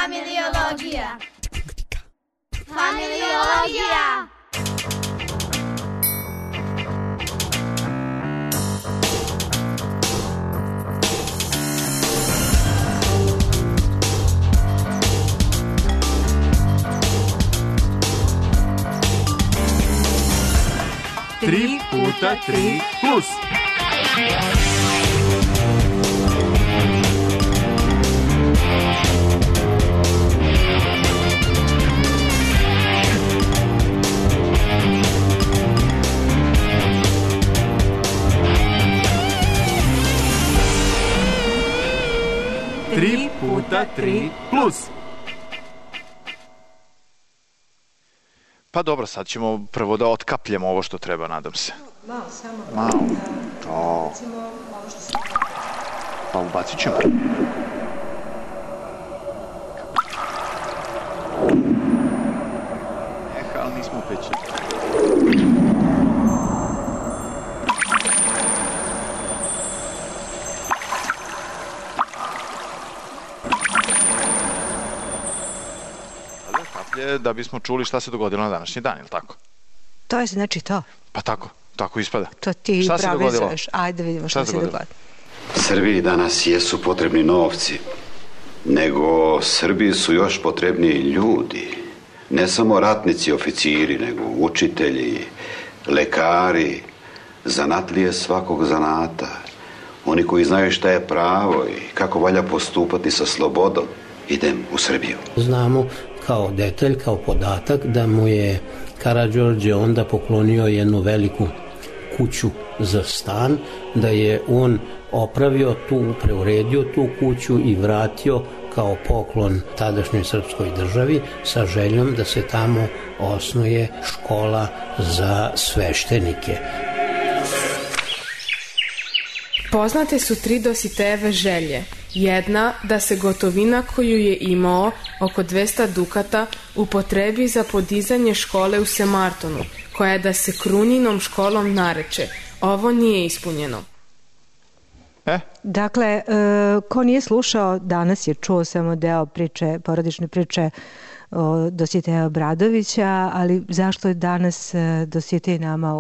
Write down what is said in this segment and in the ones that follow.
Familiologija. Familiologija. Tri puta tri plus. Tri puta tri plus. Pa dobro, sad ćemo prvo da otkapljemo ovo što treba, nadam se. Malo, samo. Malo. To. Recimo, ovo što se... Pa ubacit ćemo. Ali nismo peći. Da bismo čuli šta se dogodilo na današnji dan, ili tako? To je znači to. Pa tako ispada. To ti šta se dogodilo? Ajde vidimo šta se dogodilo. Srbiji danas jesu potrebni novci, nego Srbiji su još potrebniji ljudi. Ne samo ratnici, oficiri, nego učitelji, lekari, zanatlije svakog zanata. Oni koji znaju šta je pravo i kako valja postupati sa slobodom. Idem u Srbiju. Znamo kao detalj, kao podatak da mu je Karađorđe onda poklonio jednu veliku kuću za stan, da je on opravio tu, preuredio tu kuću i vratio kao poklon tadašnjoj srpskoj državi sa željom da se tamo osnuje škola za sveštenike. Poznate su tri Dositejeve želje. Jedna, da se gotovina koju je imao, oko 200 dukata, upotrebi za podizanje škole u Semartonu, koja je da se Krunjinom školom nareče. Ovo nije ispunjeno. Dakle, ko nije slušao, danas je čuo samo deo priče, porodične priče Dositeja Obradovića, ali zašto je danas Dositej nama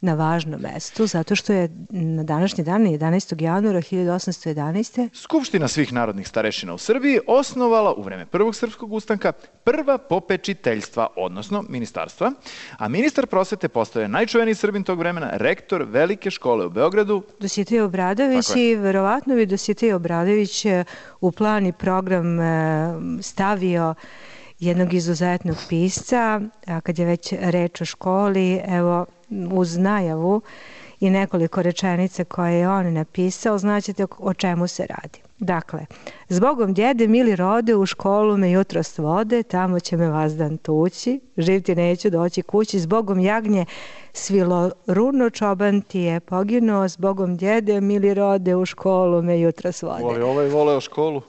na važnom mestu? Zato što je na današnji dan, 11. januara 1811. Skupština svih narodnih starešina u Srbiji osnovala u vreme Prvog srpskog ustanka prva popečiteljstva, odnosno ministarstva, a ministar prosvete postao je najčuveniji Srbin tog vremena, rektor Velike škole u Beogradu. Dositej Obradović i verovatno bi Dositej Obradović u plan i program stavio jednog izuzetnog pisca, a kad je već reč o školi, evo, uz najavu i nekoliko rečenica koje je on napisao, znaćete o čemu se radi. Dakle, zbogom djede mili rode, u školu me jutros vode, tamo će me vazdan tući, živ ti neću doći kući, zbogom jagnje svilo runo, čoban ti je poginuo, zbogom djede mili rode, u školu me jutros vode. Voli ovaj voleo školu?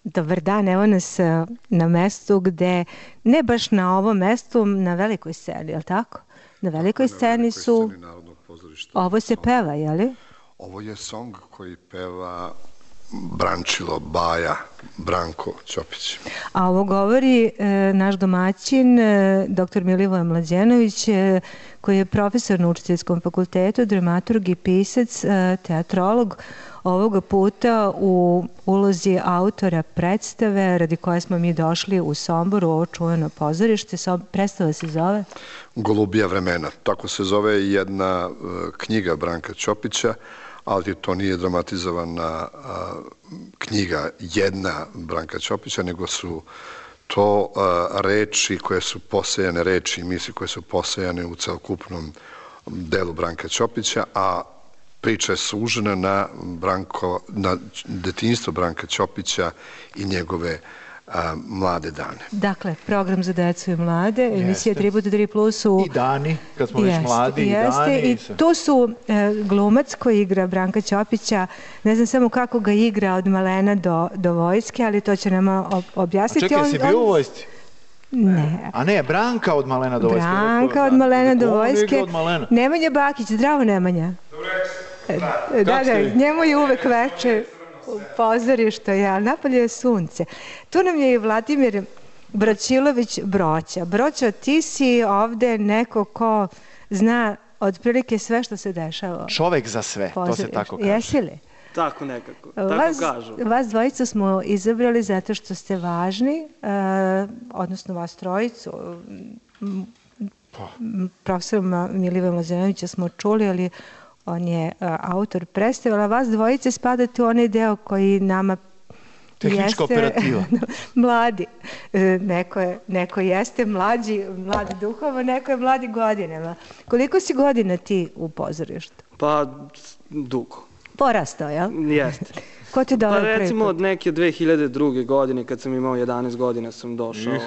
Dobar dan, evo nas na mestu gde, ne baš na ovom mestu, na velikoj sceni, je li tako? Na velikoj sceni su... Ovo se peva, je li? Ovo je song koji peva Brančilo Baja, Branko Ćopić. A ovo govori naš domaćin, dr. Milivoje Mlađenović, koji je profesor na Učiteljskom fakultetu, dramaturg i pisac, teatrolog, ovoga puta u ulozi autora predstave radi koje smo mi došli u Somboru, ovo čuveno pozorište. Predstava se zove? Golubija vremena. Tako se zove jedna knjiga Branka Ćopića, ali to nije dramatizovana knjiga jedna Branka Ćopića, nego su to reči koje su posejane, reči i misli koje su posejane u celokupnom delu Branka Ćopića, a priča je sužena na detinjstvo Branka Ćopića i njegove mlade dane. Dakle, program za decu i mlade, emisija 3x3+. I dani, kad smo već mladi, i dani. I tu su glumac koji igra Branka Ćopića, ne znam samo kako ga igra od malena do vojske, ali to će nam objasniti. A čekaj, si bio u vojsci? Ne. A ne, Branka od malena do vojske. Branka od malena do vojske. Nemanja Bakić, zdravo Nemanja. Da, njemu je uvek veče. u pozorištu, napolje je sunce. Tu nam je i Vladimir Braćilović Broća. Broća, ti si ovde neko ko zna otprilike sve što se dešava. Čovek za sve, to se tako kaže. Jesi li? Tako nekako, tako kažu. Vas dvojica smo izabrali zato što ste važni, odnosno vas trojicu. Profesora Milivoja Mlađanovića smo čuli, ali on je autor predstave, a vas dvojice spadate u onaj deo koji nama tehnička operativa. Mladi. Neko jeste mladi duhovo, neko je mladi godinama. Koliko si godina ti u pozorištu? Pa, dugo. Porastao, jel? Jeste. Ko ti dao prvi put? Recimo od neke 2002. godine, kad sam imao 11 godina, sam došao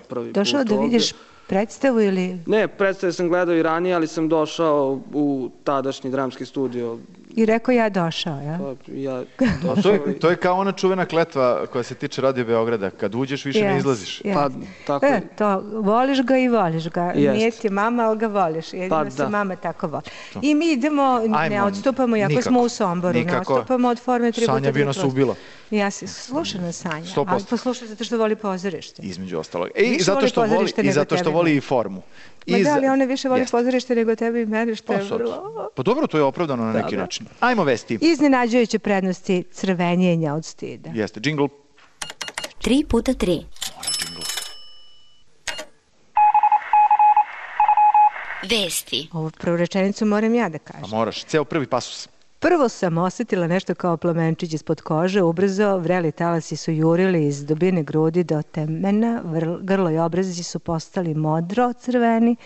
prvi put. Došao da vidiš predstavu ili... Ne, predstave sam gledao i ranije, ali sam došao u tadašnji dramski studio. I rekao ja došao, ja? Ja došao. To je kao ona čuvena kletva koja se tiče Radio Beograda. Kad uđeš, više ne izlaziš. Pa, tako je. To, voliš ga i voliš ga. Nije ti mama, ali ga voliš. Jedino se mama tako voli. I mi idemo, ne odstupamo, iako smo u Somboru, ne odstupamo od forme 3x3+. Sanja bi nas ubila. Ja se slušam Sanja, ali poslušam zato što voli pozorište. Između ostalog. I zato što voli i formu. Ma da, ali ona više voli pozorište nego tebi i mene, što je vrlo... Pa dobro, to je opravdano na neki način. Ajmo vesti. Iznenađujuće prednosti crvenjenja od stida. Jeste, džingl. 3x3. Mora džingl. Vesti. Ovu prvu rečenicu moram ja da kažem. Pa moraš, ceo prvi pasus. Prvo sam osetila nešto kao plamenčić ispod kože, ubrzo vreli talasi su jurili iz dubine grudi do temena, grlo i obrazi su postali modro crveni.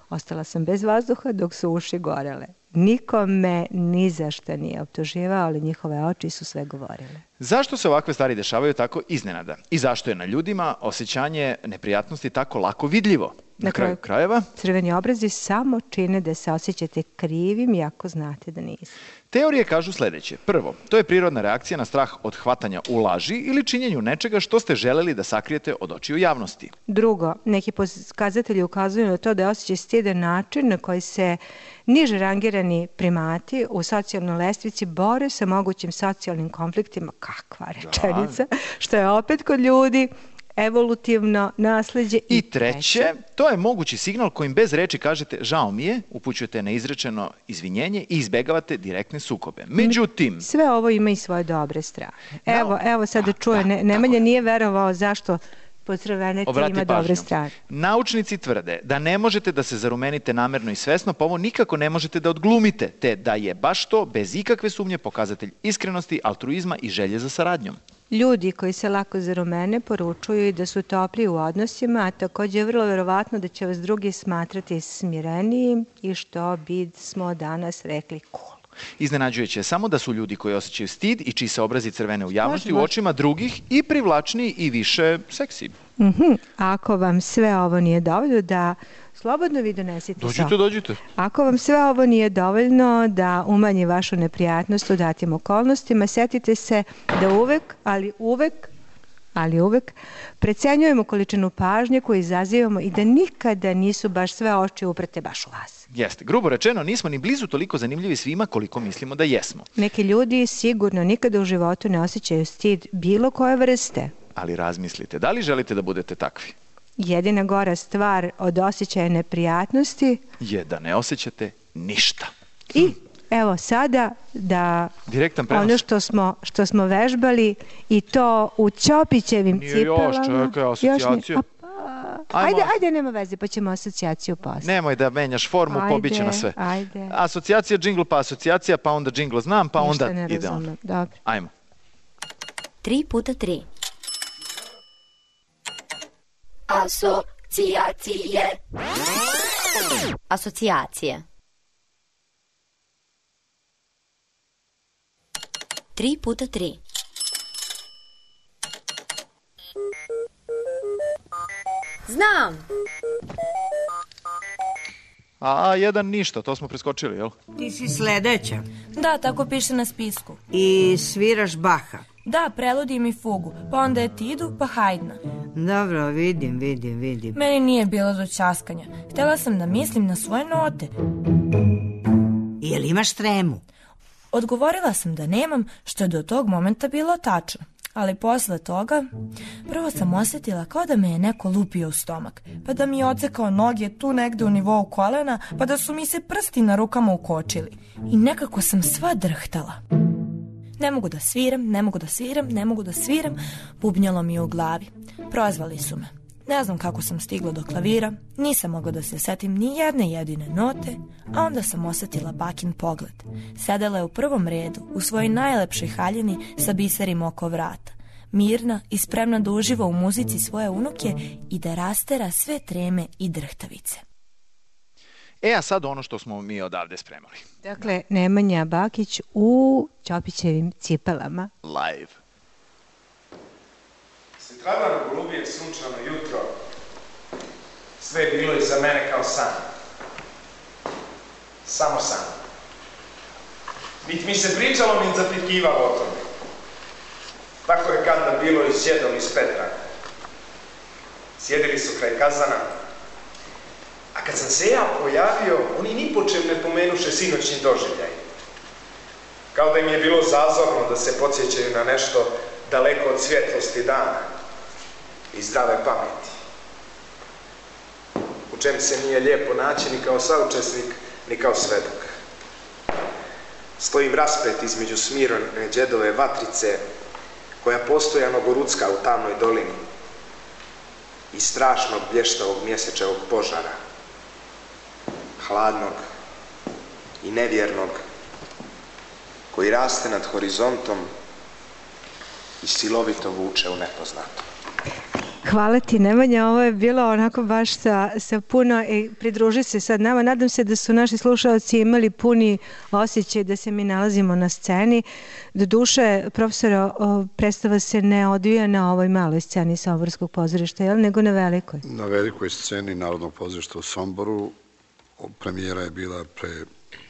Ostala sam bez vazduha dok su uši gorele. Niko me ni za šta nije optuživao, ali njihove oči su sve govorile. Zašto se ovakve stvari dešavaju tako iznenada? I zašto je na ljudima osjećanje neprijatnosti tako lako vidljivo? Na kraju krajeva? Crveni obrazi samo čine da se osjećate krivim, iako znate da niste. Teorije kažu sledeće. Prvo, to je prirodna reakcija na strah od hvatanja u laži ili činjenju nečega što ste želeli da sakrijete od očiju javnosti. Drugo, neki pokazatelji ukazuju na to da je osjećaj stida način na koji se niže rangirani primati u socijalnoj lestvici bore sa mogućim socijalnim konfliktima. Kakva rečenica, što je opet kod ljudi evolutivno nasleđe. I treće, to je mogući signal kojim bez reči kažete žao mi je, upućujete na izrečeno izvinjenje i izbegavate direktne sukobe. Međutim... Sve ovo ima i svoje dobre strane. Evo sad da čuje, Nemanja nije verovao zašto pocrveneti ima dobre strane. Naučnici tvrde da ne možete da se zarumenite namerno i svesno, pa ovo nikako ne možete da odglumite, te da je baš to, bez ikakve sumnje, pokazatelj iskrenosti, altruizma i želje za saradnjom. Ljudi koji se lako zarumene poručuju i da su topli u odnosima, a takođe je vrlo verovatno da će vas drugi smatrati smirenijim i što bismo danas rekli cool. Iznenađujuće je samo da su ljudi koji osjećaju stid i čiji se obrazi crvene u javnosti u očima drugih i privlačniji i više seksi. Ako vam sve ovo nije dovoljno da slobodno vi donesite Dođite. Ako vam sve ovo nije dovoljno da umanji vašu neprijatnost u datim okolnostima, setite se da uvek precenjujemo količinu pažnje koju izazivamo i da nikada nisu baš sve oči uprete baš u vas. Jeste. Grubo rečeno, nismo ni blizu toliko zanimljivi svima koliko mislimo da jesmo. Neki ljudi sigurno nikada u životu ne osjećaju stid bilo koje vrste. Ali razmislite, da li želite da budete takvi? Jedina gora stvar od osjećaja neprijatnosti je da ne osjećate ništa. I evo sada da ono što smo vežbali i to u Ćopićevim cipelama. Nije još, čekaj, asocijacija. Ajde, nema veze, pa ćemo asocijaciju posle. Nemoj da menjaš formu, pobiće na sve. Asocijacija, džingl, pa asocijacija, pa onda džingl znam, pa onda ide on. Dobro. Ajmo. 3x3. Asocijacije. 3x3. Znam. A1 ništa, to smo preskočili, jel? Ti si sledeća. Da, tako piše na spisku. I sviraš Baha. Da, preludim i fugu, pa onda etidu, pa Hajdna. Dobro, vidim. Meni nije bilo do ćaskanja. Htela sam da mislim na svoje note. Jel imaš tremu? Odgovorila sam da nemam, što je do tog momenta bilo tačno. Ali posle toga, prvo sam osjetila kao da me je neko lupio u stomak, pa da mi je odsekao noge tu negde u nivou kolena, pa da su mi se prsti na rukama ukočili. I nekako sam sva drhtala. Ne mogu da sviram, ne mogu da sviram, ne mogu da sviram, bubnjalo mi je u glavi. Prozvali su me. Ne znam kako sam stigla do klavira, nisam mogla da se setim ni jedne jedine note, a onda sam osjetila bakin pogled. Sedela je u prvom redu, u svojoj najlepšoj haljini sa biserima oko vrata, mirna i spremna da uživa u muzici svoje unuke i da rastera sve treme i drhtavice. A sad ono što smo mi odavde spremali. Dakle, Nemanja Bakić u Ćopićevim cipelama. Live. Sutradan golubije sunčano jutro, sve je bilo iza mene kao san. Samo san. Niti mi se pričalo, niti zapitkivalo o tome. Tako je kada bilo i s djedom iz Petra. Sjedili su kraj kazana, a kad sam se ja pojavio, oni ni po čem ne pomenuše sinoćni doživljaj. Kao da im je bilo zazorno da se podsjećaju na nešto daleko od svjetlosti dana i zdrave pameti. U čem se nije lijepo naći ni kao saučesnik, ni kao svedok. Stojim raspet između smirone džedove vatrice, koja postojano gorucka u tamnoj dolini, i strašnog blještavog mjesečevog požara, hladnog i nevjernog, koji raste nad horizontom i silovito vuče u nepoznato. Hvala ti, Nemanja, ovo je bilo onako baš sa puno, pridruži se sad nama, nadam se da su naši slušalci imali puni osjećaj da se mi nalazimo na sceni. Doduše, profesora, predstava se ne odvija na ovoj maloj sceni Somborskog pozorišta, jel, nego na velikoj? Na velikoj sceni Narodnog pozorišta u Somboru. Premijera je bila pre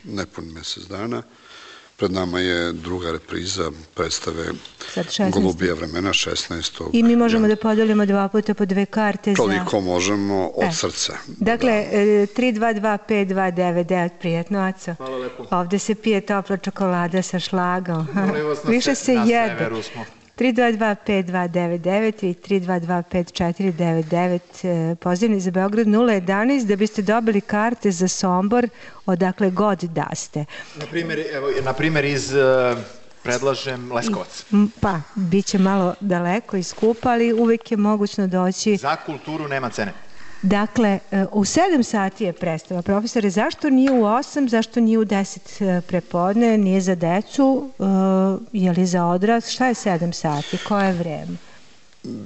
nepun mjesec dana. Pred nama je druga repriza predstave Golubija vremena, 16. I mi možemo da podelimo 2 puta po 2 karte. Toliko možemo od srca. Dakle, 3225299, prijetno, Aco. Hvala lepo. Ovde se pije topla čokolada sa šlagom. Više se jede. 3225299 i 3225499, pozivni za Beograd 011, da biste dobili karte za Sombor odakle god da ste. Na primjer iz, predlažem, Leskovac. Pa, bit će malo daleko i skupa, ali uvijek je mogućno doći. Za kulturu nema cene. Dakle, u 7 sati je predstava. Profesore, zašto nije u 8, zašto nije u 10 prepodne, nije za decu, je li za odrast? Šta je 7 sati? Koje je vreme?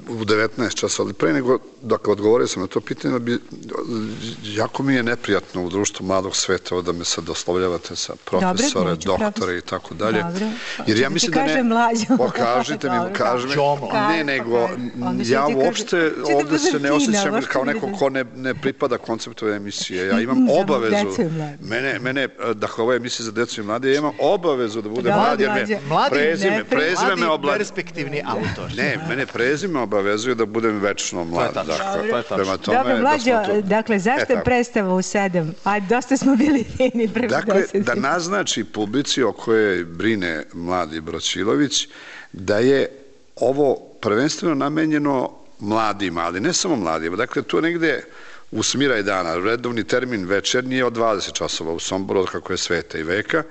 U 19 časa, ali pre nego, dakle, odgovorio sam na to pitanje, jako mi je neprijatno u društvu mladog sveta da me sad oslovljavate sa profesore, doktore i tako dalje. Jer ja mislim da ne... Pokažite mi, kaži mi. Ne, nego, ja uopšte ovde se ne osjećam kao neko ko ne pripada konceptu ove emisije. Ja imam obavezu, mene, dakle, ova emisija za decu i mlade, ja imam obavezu da budem mlad, jer me prezime me Mladi perspektivni autor. Ne, mene prezime me obavezuje da budem večno mlad. To je tačno. Dobro, Mlađo, dakle, zašto je predstava u 7? A dosta smo bili fini prvi 10. Dakle, da naznači publici o kojoj brine mladi Braćilović, da je ovo prvenstveno namenjeno mladima, ali ne samo mladima. Dakle, to negde u smiraj dana, redovni termin večernji je od 20 časova u Somboru, od kako je sveta i veka,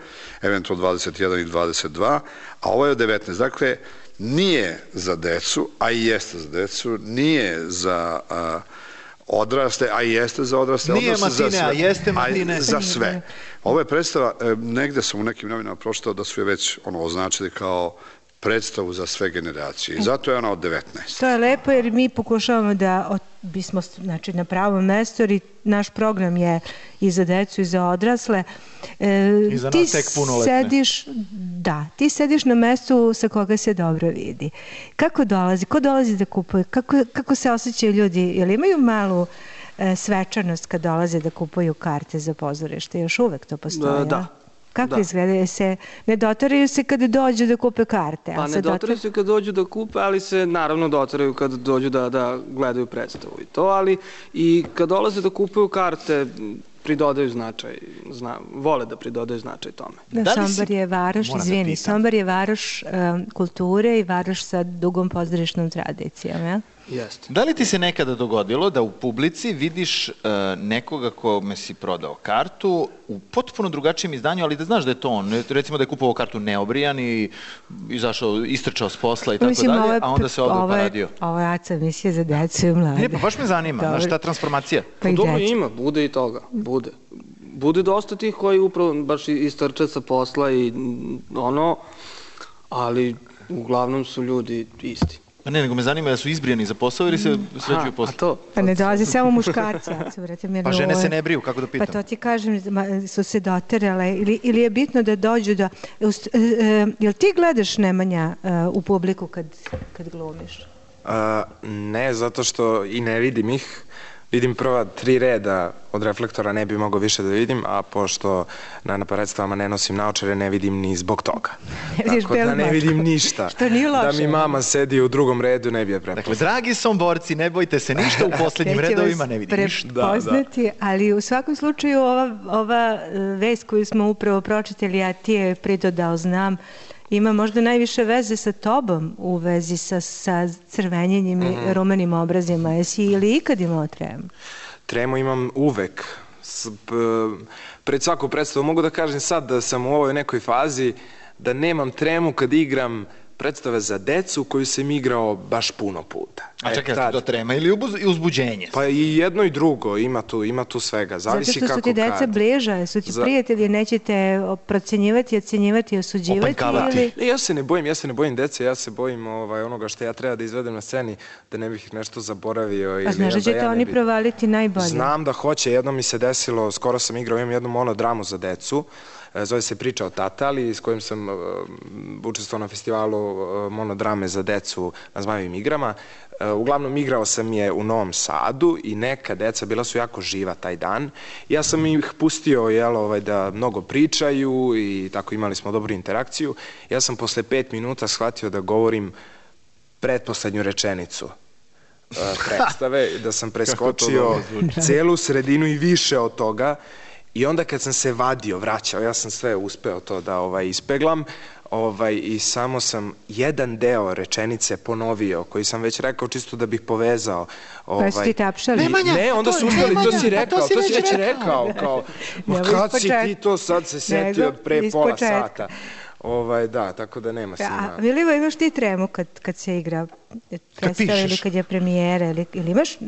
eventualno 21 i 22, a ovo je od 19. Dakle, nije za decu, a i jeste za decu, nije za odraste, a i jeste za odraste. Nije matine, a jeste matine. Za sve. Ovo je predstava, negde sam u nekim novinama pročitao da su je već označili kao predstavu za sve generacije. I zato je ona od 19. To je lepo jer mi pokušavamo da bismo na pravom mestu, jer naš program je i za decu i za odrasle. I za nas tek punoletne. Da, ti sediš na mestu sa koga se dobro vidi. Kako dolazi? Ko dolazi da kupuje? Kako se osjećaju ljudi? Jel imaju malu svečanost kad dolaze da kupuju karte za pozorište? Još uvek to postoji? Da. Kako izgledaju se? Ne dotaraju se kada dođu da kupe karte? Pa ne dotaraju se kada dođu da kupe, ali se naravno dotaraju kada dođu da gledaju predstavu i to, ali i kad dolaze da kupuju karte, pridodaju značaj, vole da pridodaju značaj tome. Sombor je varoš, izvini, Sombor je varoš kulture i varoš sa dugom pozorišnom tradicijom, ja? Jeste. Da li ti se nekada dogodilo da u publici vidiš nekoga kome si prodao kartu u potpuno drugačijem izdanju, ali da znaš da je to on, recimo da je kupovao kartu neobrijan i izašao, istrčao s posla i tako dalje, a onda se ovdje uparadio? Ovo je ACA emisija za decu i mlade. Ne, pa baš me zanima, znaš ta transformacija? Pa dobro ima, bude i toga, bude. Bude dosta tih koji upravo baš istrče sa posla i ono, ali uglavnom su ljudi isti. Pa ne, nego me zanima da su izbrijani za posao ili se sređuju posle? Pa ne dolazi samo muškarci. Pa žene se ne briju, kako da pitam? Pa to ti kažem, su se doterale ili je bitno da dođu do... Jel ti gledaš, Nemanja, u publiku kad glumiš? Ne, zato što i ne vidim ih. Vidim prva 3 reda od reflektora, ne bi mogao više da vidim, a pošto na predstavama ne nosim naočare, ne vidim ni zbog toga. Tako da ne vidim ništa. Što nije loše. Da mi mama sedi u drugom redu, ne bi je prepoznao. Dakle, dragi somborci, ne bojte se ništa, u posljednjim redovima ne vidim ništa. Prepoznati, ali u svakom slučaju ova vest koju smo upravo pročitali, a ti je pridodao, znam, ima možda najviše veze sa tobom u vezi sa crvenjenjem i rumenim obrazima. Jesi ili ikad imao tremu? Tremu imam uvek. Pred svaku predstavu mogu da kažem sad da sam u ovoj nekoj fazi da nemam tremu kad igram predstave za decu koju sam igrao baš puno puta. A čekaj, to trema ili uzbuđenje? Pa i jedno i drugo, ima tu svega. Zavisi kako kad. Zato što su ti deca bliža, su ti prijatelji, nećete procenjivati, ocenjivati, osuđivati ili... Ja se ne bojim dece, ja se bojim onoga što ja treba da izvedem na sceni, da ne bih nešto zaboravio. A znaš da ćete oni provaliti najbolje? Znam da hoće, jedno mi se desilo, skoro sam igrao, imam jednu monodramu za decu, zove se Priča o Tatali, s kojim sam učestvovao na festivalu monodrame za decu na Zmajevim igrama. Uglavnom igrao sam je u Novom Sadu i neka deca bila su jako živa taj dan. Ja sam ih pustio da mnogo pričaju i tako imali smo dobru interakciju. Ja sam posle 5 minuta shvatio da govorim pretposlednju rečenicu predstave, da sam preskočio celu sredinu i više od toga. I onda kad sam se vraćao, ja sam sve uspeo to da ispeglam i samo sam jedan deo rečenice ponovio, koji sam već rekao čisto da bih povezao. Pa su ti tapšali? Ne, onda su uspeli, to si već rekao. Ma kad si ti to sad se setio od pre pola sata? Da, tako da nema svima. A Vilivo, imaš ti tremu kad se igra predstava ili kad je premijera ili imaš?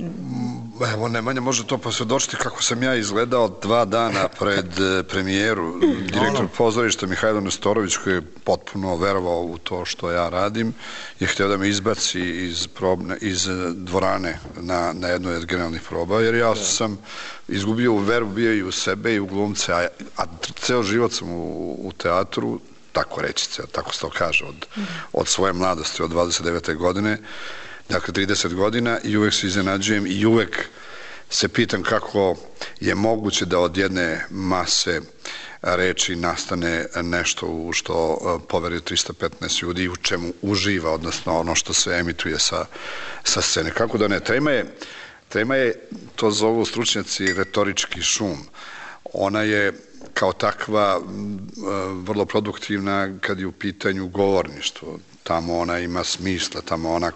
Evo, Nemanja može to posvjedočiti kako sam ja izgledao 2 dana pred premijeru. Direktor pozorišta Mihajlo Nestorović, koji je potpuno verovao u to što ja radim, je htio da me izbaci iz dvorane na jednoj od generalnih proba, jer ja sam izgubio veru, bio i u sebe i u glumce, a ceo život sam u teatru, tako reći se, tako se to kaže, od svoje mladosti, od 29. godine, dakle 30 godina, i uvek se iznenađujem i uvek se pitam kako je moguće da od jedne mase reči nastane nešto u što poveruje 315 ljudi i u čemu uživa, odnosno ono što se emituje sa scene. Kako da ne? Trema je, to zovu stručnjaci, retorički šum. Ona je kao takva vrlo produktivna kad je u pitanju govorništvo. Tamo ona ima smisla, tamo ona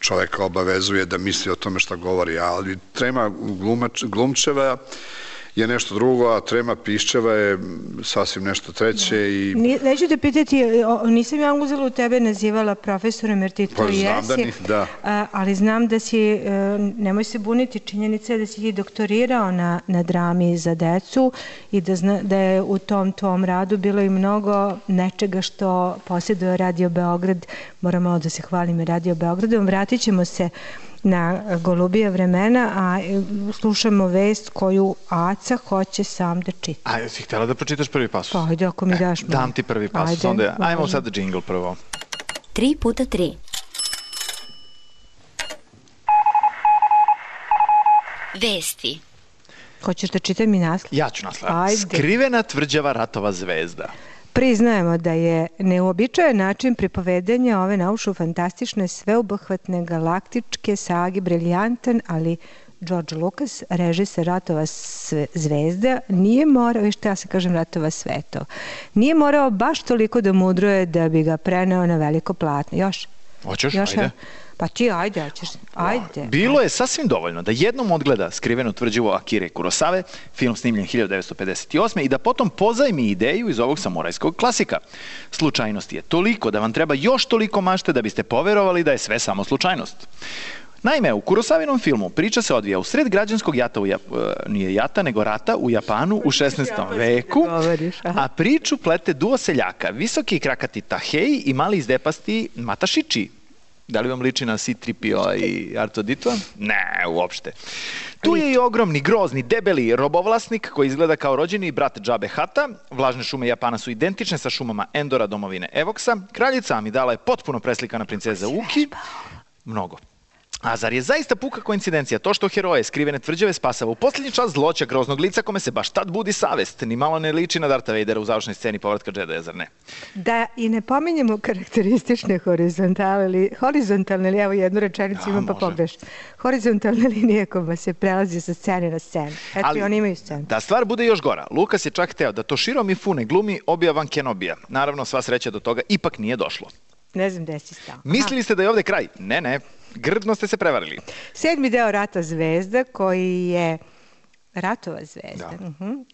čoveka obavezuje da misli o tome šta govori, ali trema glumčeva je nešto drugo, a trema piščeva je sasvim nešto treće. Neću te pitati, nisam ja uzela u tebe nazivala profesorem, jer ti to jesi, ali znam da si, nemoj se buniti, činjenica je da si ti doktorirao na drami za decu i da je u tom tvom radu bilo i mnogo nečega što posjeduje Radio Beograd. Moram malo da se hvalim i Radio Beogradom. Vratit ćemo se na golubija vremena, a slušamo vest koju Aca hoće sam da čita. A jesi htjela da pročitaš prvi pasus? Pa ajde, ako mi daš. Dam ti prvi pasus, onda ajmo sad džingl prvo. 3x3. Vesti. Hoćeš da čitam mi naslov? Ja ću naslov. Skrivena tvrđava Ratova zvezda. Priznajemo da je neuobičajen način pripovedanja ove naučno-fantastične sveobuhvatne galaktičke sage briljantan, ali George Lucas, režiser Ratova zvezda, nije morao, što ja se kažem Ratova svetova, nije morao baš toliko da mudruje da bi ga preneo na veliko platno. Još? Hoćeš? Ajde. Pa ti ajde, hoćeš. Ajde. Bilo je sasvim dovoljno da jednom odgleda Skriveno tvrđavo Akire Kurosave, film snimljen 1958. i da potom pozajmi ideju iz ovog samurajskog klasika. Slučajnost je toliko da vam treba još toliko mašte da biste poverovali da je sve samo slučajnost. Naime, u Kurosavinom filmu priča se odvija u sred građanskog jata, nije jata, nego rata u Japanu u 16. veku, a priču plete duo seljaka, visoki i krakati Tahei i mali izdepasti Matashichi. Da li vam liči na C-3PO i R2D2? Ne, uopšte. Tu je i ogromni, grozni, debeli robovlasnik koji izgleda kao rođeni brat Džabe Hata. Vlažne šume Japana su identične sa šumama Endora, domovine Evoksa. Kraljica Amidala je potpuno preslikana princeza Uki. Mnogo. A zar je zaista puka koincidencija to što heroje Skrivene tvrđave spasava u posljednji čas zloća groznog lica kome se baš tad budi savest? Ni malo ne liči na Darta Vadera u završnoj sceni povratka Jedija, zar ne? Da i ne pominjemo karakteristične horizontalne, ili evo jednu rečenicu imam pa pogreš. Horizontalne linije kojima se prelazi sa scene na scenu. Eto i oni imaju scenu. Da stvar bude još gora, Lukas je čak hteo da Toshiro Mifune glumi Obi-Wan Kenobija. Naravno, sva sreća do toga ipak nije došlo. Ne znam gde si stao. Mislili ste da je ovde kraj? Ne. Grdno ste se prevarili. 7. deo Rata zvezda, koji je Ratova zvezda,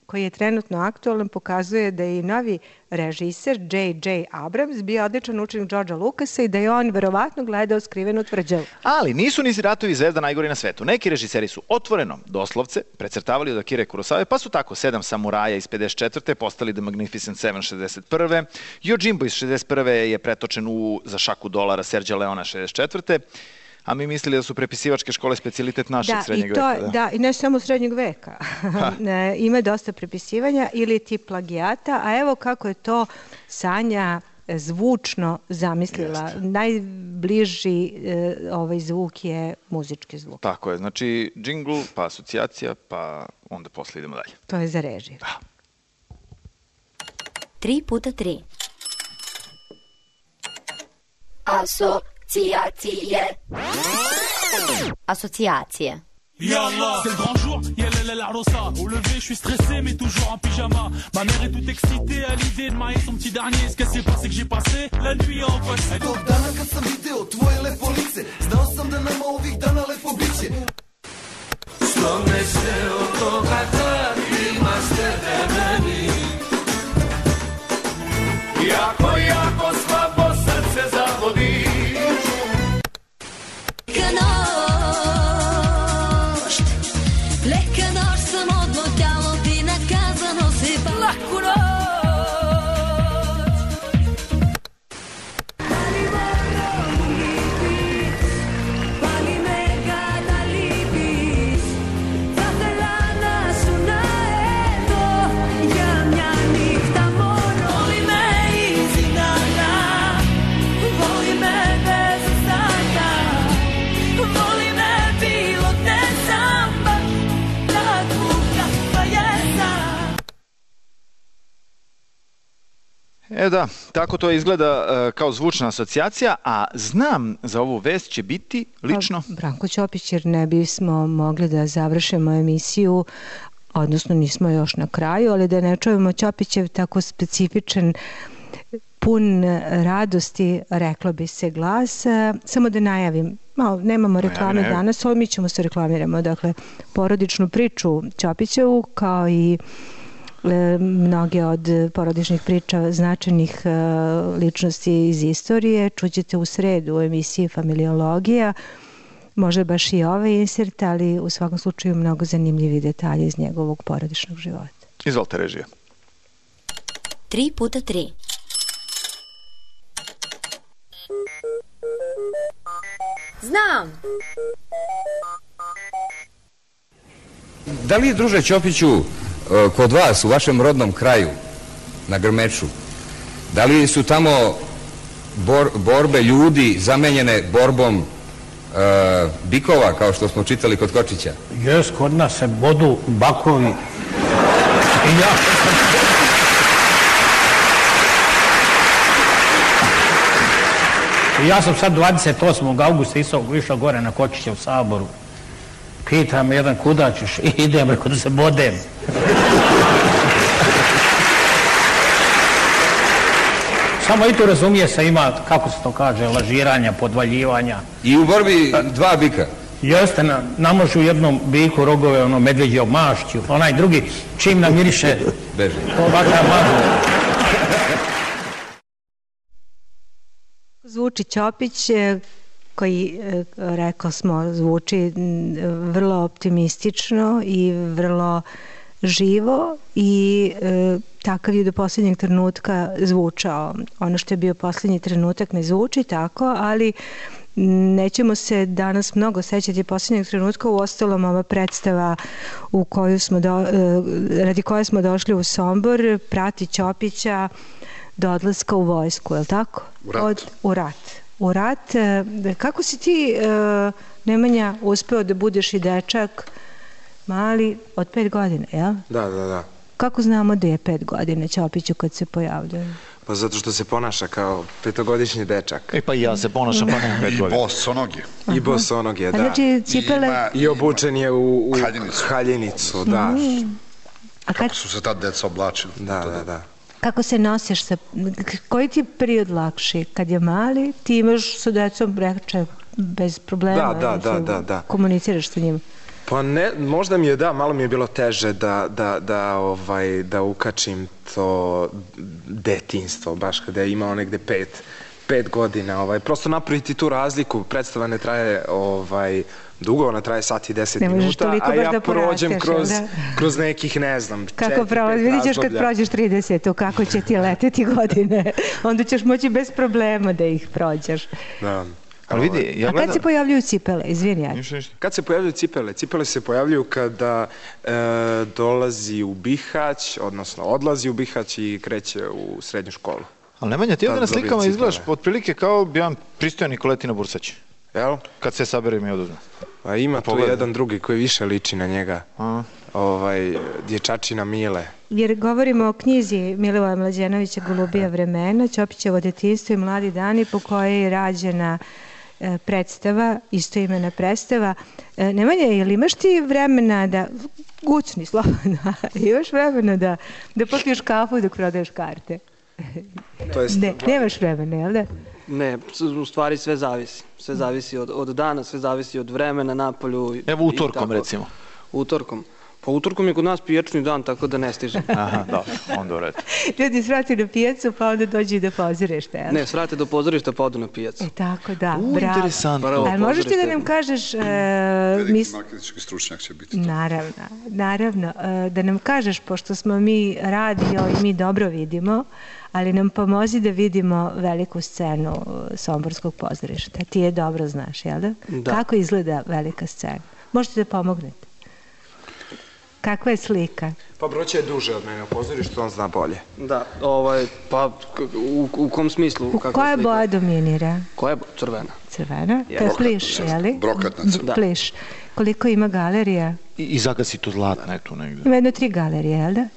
koji je trenutno aktualan, pokazuje da je i novi režiser J.J. Abrams bio odličan učenik Georgea Lucasa i da je on verovatno gledao Skrivenu tvrđavu. Ali nisu ni Ratovi zvezda najgori na svetu. Neki režiseri su otvoreno, doslovce, precrtavali od Akire Kurosave, pa su tako 7 samuraja iz 54. postali The Magnificent Seven 61. Yojimbo iz 61. je pretočen za šaku dolara Sergio Leona 64. A mi mislili da su prepisivačke škole specijalitet našeg srednjeg veka. Da, i ne samo srednjeg veka. Ima dosta prepisivanja ili ti plagijata, a evo kako je to Sanja zvučno zamislila. Najbliži zvuk je muzički zvuk. Tako je, znači džingl, pa asocijacija, pa onda posle idemo dalje. To je za režiju. 3x3. Associacije. Yallah, c'est le grand jour, yallah la rosa. Au lever, je suis stressé, mais toujours en pyjama. Ma mère est toute excitée à l'idée de marier son petit dernier. Ce qu'elle sait pas, c'est que j'ai passé la nuit en poche. Tog dana kad sam video tvoje lepo lice, znao sam da nama ovih dana lepo biće. Što me se od toga tak imaš tebe meni. Jako slabo srce zavodiš. Leka noć sam odmotalo ti nakazano si pa laku noć. Ali moram biti, pali me kada libiš. Zatelana su na eto, jamnjanih tamoro. Voli me iz inana, voli me bez ostatka. Voli me bilo te samba. Da, tako to izgleda kao zvučna asocijacija, a znam za ovu vest će biti lično. Branko Ćopić, jer ne bismo mogli da završimo emisiju, odnosno nismo još na kraju, ali da ne čujemo Ćopićev tako specifičan, pun radosti, reklo bi se, glas. Samo da najavim, nemamo reklame danas, ali mi ćemo se reklamiramo. Dakle, porodičnu priču Ćopićevu, kao i mnoge od porodičnih priča značajnih ličnosti iz istorije čućete u sredu u emisiji Familiologija. Može baš i ovaj insert, ali u svakom slučaju mnogo zanimljivi detalji iz njegovog porodičnog života. Izvolite, režija. 3x3. Znam! Da li je, druže Ćopiću, kod vas, u vašem rodnom kraju, na Grmeču, da li su tamo borbe ljudi zamenjene borbom bikova, kao što smo čitali kod Kočića? Jes, kod nas se bodu bakovi. Ja sam sad 28. augusta išao gore na Kočića u Saboru. Pita me jedan kuda ćeš, idem, rekao da se bodem. Samo i tu razumije se, ima, kako se to kaže, lažiranja, podvaljivanja. I u borbi dva bika? Jeste, namožu jednom biku rogove, ono, medveđe mašću, onaj drugi, čim namiriše, beži. Ovakav mažu. Zvuči Ćopić, koji, rekao smo, zvuči vrlo optimistično i vrlo živo i takav je do posljednjeg trenutka zvučao. Ono što je bio posljednji trenutak ne zvuči tako, ali nećemo se danas mnogo sećati posljednjeg trenutka. U ostalom, ova predstava u koju smo radi koje smo došli u Sombor prati Ćopića do odlaska u vojsku, je li tako? U rat. U rat. Kako si ti, Nemanja, uspeo da budeš i dečak mali od 5 godina, jel? Da. Kako znamo da je 5 godina Ćopiću kad se pojavljaju? Pa zato što se ponaša kao 5-godišnji dečak. Pa i ja se ponašam pa nemam 5 godina. I bosonoge. I bosonoge, da. Znači cipele... I obučen je u haljinicu, da. Kako su se tad deca oblačili. Da. Kako se nosiš sa... Koji ti je period lakši? Kad je mali, ti imaš sa decom reče bez problema. Da. Komuniciraš sa njim. Pa ne, možda mi je malo mi je bilo teže da ukačim to detinjstvo, baš kada je imao negde 5 godina. Prosto napraviti tu razliku, predstava ne traje dugo, ona traje sat i 10 minuta, a ja prođem kroz nekih, ne znam, 4-5 vidit ćeš kad prođeš 30, kako će ti leteti godine, onda ćeš moći bez problema da ih prođeš. Da. Ali vidi, a kad se pojavljuju cipele? Izvini, ja. Kad se pojavljuju cipele? Cipele se pojavljuju kada dolazi u Bihać, odnosno odlazi u Bihać i kreće u srednju školu. Ali Nemanja, ti ovdje na slikama izgledaš otprilike kao jedan pristojan Nikoletina Bursać. Jel? Kad se sabere mi oduzme. Pa ima tu jedan drugi koji više liči na njega. Dječačina Mile. Jer govorimo o knjizi Milivoja Mlađenovića Golubija vremena, Ćopićevo detinjstvo i mladi dani, po kojoj je rađena predstava, istoimena predstava. Nemanja, jel imaš ti vremena da, gucni slobodno, imaš vremena da popiješ kafu dok prodaješ karte? Ne, nemaš vremena, jel da? Ne, u stvari sve zavisi. Sve zavisi od dana, sve zavisi od vremena, napolju. Evo utorkom recimo. Utorkom. Pa utorkom je kod nas pijačni dan, tako da ne stižem. Aha, dobro, onda u redu. Ljudi svrati na pijacu, pa onda dođu i do pozorišta, jel? Ne, svrate do pozorišta, pa odu na pijacu. Tako da, bravo. Interesantno. Ali možeš ti da nam kažeš... Veliki marketinški stručnjak će biti. Naravno. Da nam kažeš, pošto smo mi radio i mi dobro vidimo, ali nam pomozi da vidimo veliku scenu Somborskog pozorišta. Ti je dobro znaš, jel da? Da. Kako izgleda velika scena? Možete da pomognete? Kakva je slika? Pa Broće je duže od mene u pozorištu, on zna bolje. Da, pa u kom smislu? Koja boja dominira? Koja je crvena? Crvena? To je pliš, jeli? Brokatna crvena. Pliš. Koliko ima galerija? I zagasi tu zlatna je tu negdje. Ima 3 galerije, jel da?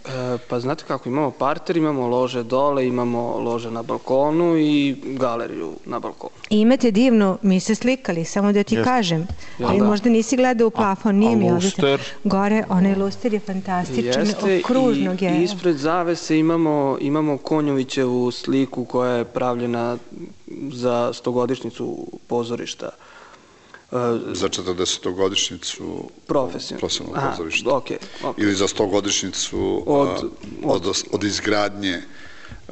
Pa znate kako, imamo parter, imamo lože dole, imamo lože na balkonu i galeriju na balkonu. I imate divnu, mi se slikali, samo da ti kažem. Ali možda nisi gledao u plafon, nije mi ovdje. Gore, onaj luster je fantastičan, okružnog je. I ispred zavese imamo Konjovićevu sliku koja je pravljena za 100-godišnjicu pozorišta. Za 40-godišnjicu profesionalnog pozorišta. Okay. Ili za 100-godišnjicu od izgradnje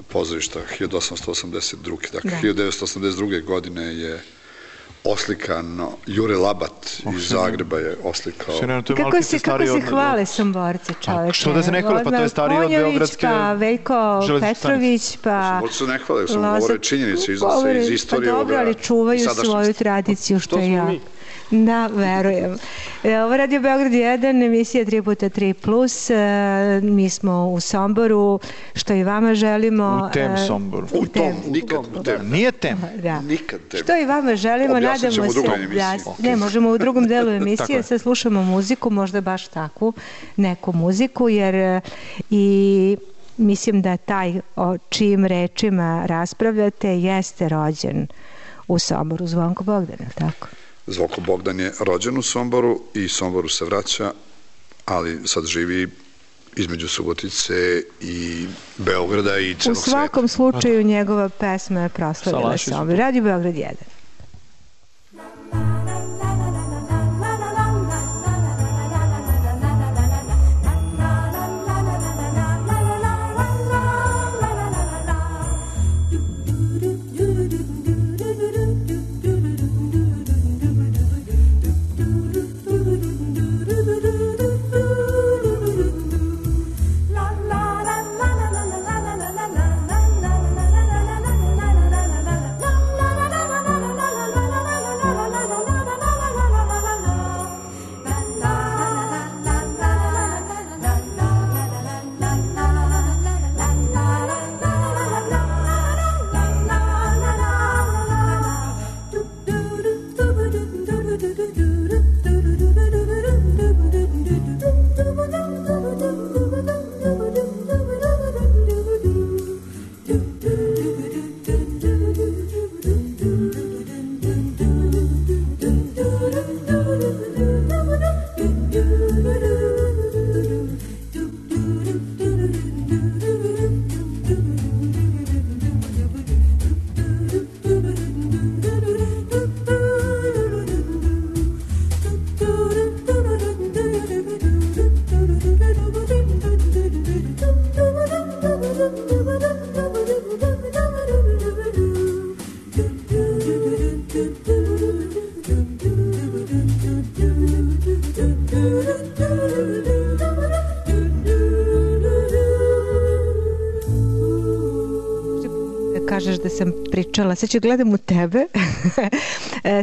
pozorišta 1882. Dakle, 1982. godine je oslikano, Jure Labat iz Zagreba je oslikao. Kako se hvale Somborci, čoveče? Što da se ne hvale, pa to je stariji od Beogradske pa Veljko Petrović, pa... Somborci se ne hvale, samo govore činjenice, iznose iz istorije ovoga. Pa dobro, ali čuvaju svoju tradiciju, što ja. Da, verujem. Ovo Radio Beograd 1, emisija 3x3+. Mi smo u Somboru, što i vama želimo. U tem Somboru. U tom, nikad u tem. Nije tem. Nikad tem. Što i vama želimo, nadamo se. Ne, možemo u drugom delu emisije, sad slušamo muziku, možda baš takvu neku muziku, jer i mislim da taj o čijim rečima raspravljate jeste rođen u Somboru, Zvonko Bogdan, je li tako? Zvoko Bogdan je rođen u Somboru i Somboru se vraća, ali sad živi između Subotice i Beograda i celog sveta. U svakom slučaju njegova pesma je proslavila Sombor. Radio Beograd 1. Kažeš da sam pričala, sad ću gledam u tebe.